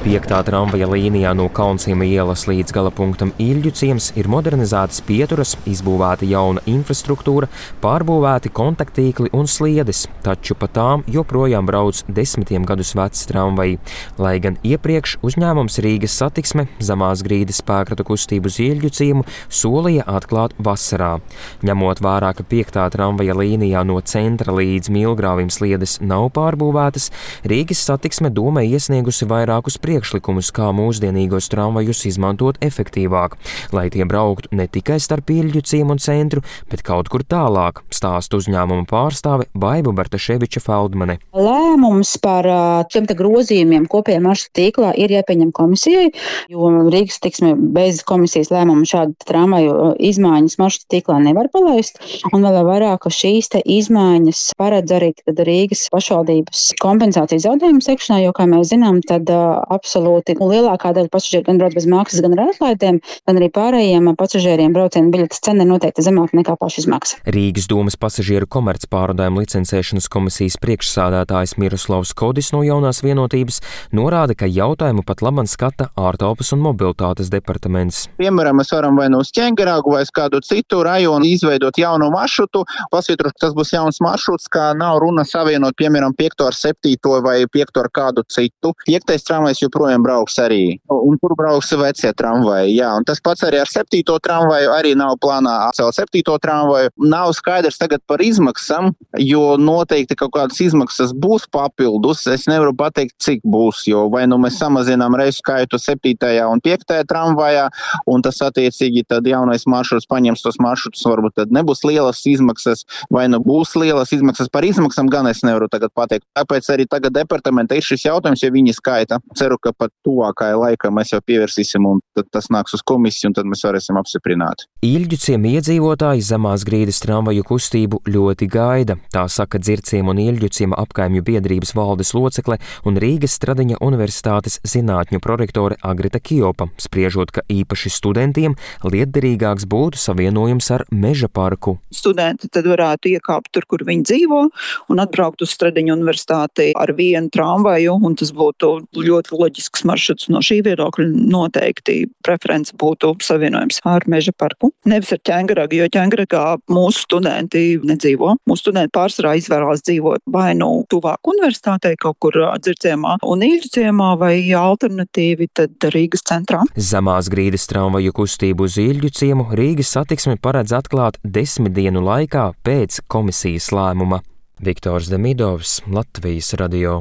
5. tramvaja līnijā no Kaunsima ielas līdz galapunktam Ilģu ciems ir modernizētas pieturas, izbūvēta jauna infrastruktūra, pārbūvēti kontakttīkli un sliedes, taču pa tām joprojām brauc 10 gadus veci tramvaji. Lai gan iepriekš uzņēmums Rīgas Satiksme Zemās Grīdas spēkratu kustību uz Ilģu ciemu solīja atklāt vasarā. Ņemot vērā, ka 5. tramvaja līnijā no centra līdz Milgrāvim sliedes nav pārbūvētas, Rīgas Satiksme Dome iesniegusi vairākus priekšlikumus, kā mūsdienīgos tramvajus izmantot efektīvāk, lai tie brauktu ne tikai starp Ilģu ciemu un centru, bet kaut kur tālāk, stāsta uzņēmuma pārstāve Baiba Bartaševiča-Feldmane. Lēmums par šiem grozījumiem kopējā maršruta tīklā ir jāpieņem komisijai, jo Rīgas Satiksme bez komisijas lēmuma šādu tramvaju izmaiņas maršruta tīklā nevar palaist, un vēl vairāk, ka šīs te izmaiņas paredz arī Rīgas pašvaldības kompensācijas zaudējumu sekšanā, jo, kā mēs zinām, tad absolūti lielākā daļa pasažieru gan brauc bez maksas, gan ar atlaidēm, gan arī pārējiem pasažieriem braucienu biļetes cena ir noteikti zemāka nekā pašizmaksa. Rīgas domas pasažieru komercpārvadājumu licencēšanas komisijas priekšsādātājs Miroslavs Kodis no Jaunās vienotības norāda, ka jautājumu pat labam skata ārtelpas un mobilitātes departaments. Piemēram, mēs varam vai no uz Ķengaragu vai uz kādu citu rajonu izveidot jaunu maršrutu, pasvītrot, ka tas būs jauns maršruts, kā nav runa savienot, piemēram, 5. ar 7. vai 5. ar kādu citu. 5. tramvajs joprojām brauks arī, un tur brauks vecie tramvaji, jā, un tas pats arī ar 7. tramvaju, arī nav plānā atcelt 7. tramvaju. Nav skaidrs tagad par izmaksām, jo noteikti kaut kādas izmaksas būs papildus, es nevaru pateikt, cik būs, jo vai nu mēs samazinām reisu skaitu 7. un 5. tramvajā, un tas attiecīgi tad jaunais maršruts paņems tos maršrutus, varbūt tad nebūs lielas izmaksas, vai nu būs lielas izmaksas. Par izmaksām gan es nevaru tagad pateikt. Tāpēc arī tagad departamenta ir šis jautājums, ja viņi skaita. Ceru, ka pat tuvākajā laikā mēs jau pievērsīsim, un tad tas nāks uz komisiju, un tad mēs varēsim apstiprināt. Ilģu ciema iedzīvotāji Zemās Grīdas tramvaju kustību ļoti gaida. Tā saka Dzirciema un Ilģu ciema apkaimju biedrības valdes locekle un Rīgas Stradiņa universitātes zinātņu prorektore Agrita Kjopa, spriežot, ka īpaši studentiem lietderīgāks būtu savienojums ar Meža parku. Studenti tad varētu iekāpt tur, kur viņi dzīvo, un atbraukt uz Stradiņa universitāti ar vienu tramvaju, un tas būtu ļoti loģisks maršruts. No šī viedokļa noteikti preference būtu savienojums ar Meža parku. Nevis ar Ķengaragu, jo Ķengaragā mūsu studenti nedzīvo. Mūsu studenti pārsvarā izvēlās dzīvot vai nu tuvāk universitātei, kaut kur Dzirciemā un Ilģu ciemā, vai alternatīvi tad Rīgas centrā. Zemās Grīdas tramvaju kustību uz Ilģu ciemu Rīgas Satiksme paredz atklāt 10 dienu laikā pēc komisijas lēmuma. Viktors Demidovs, Latvijas radio.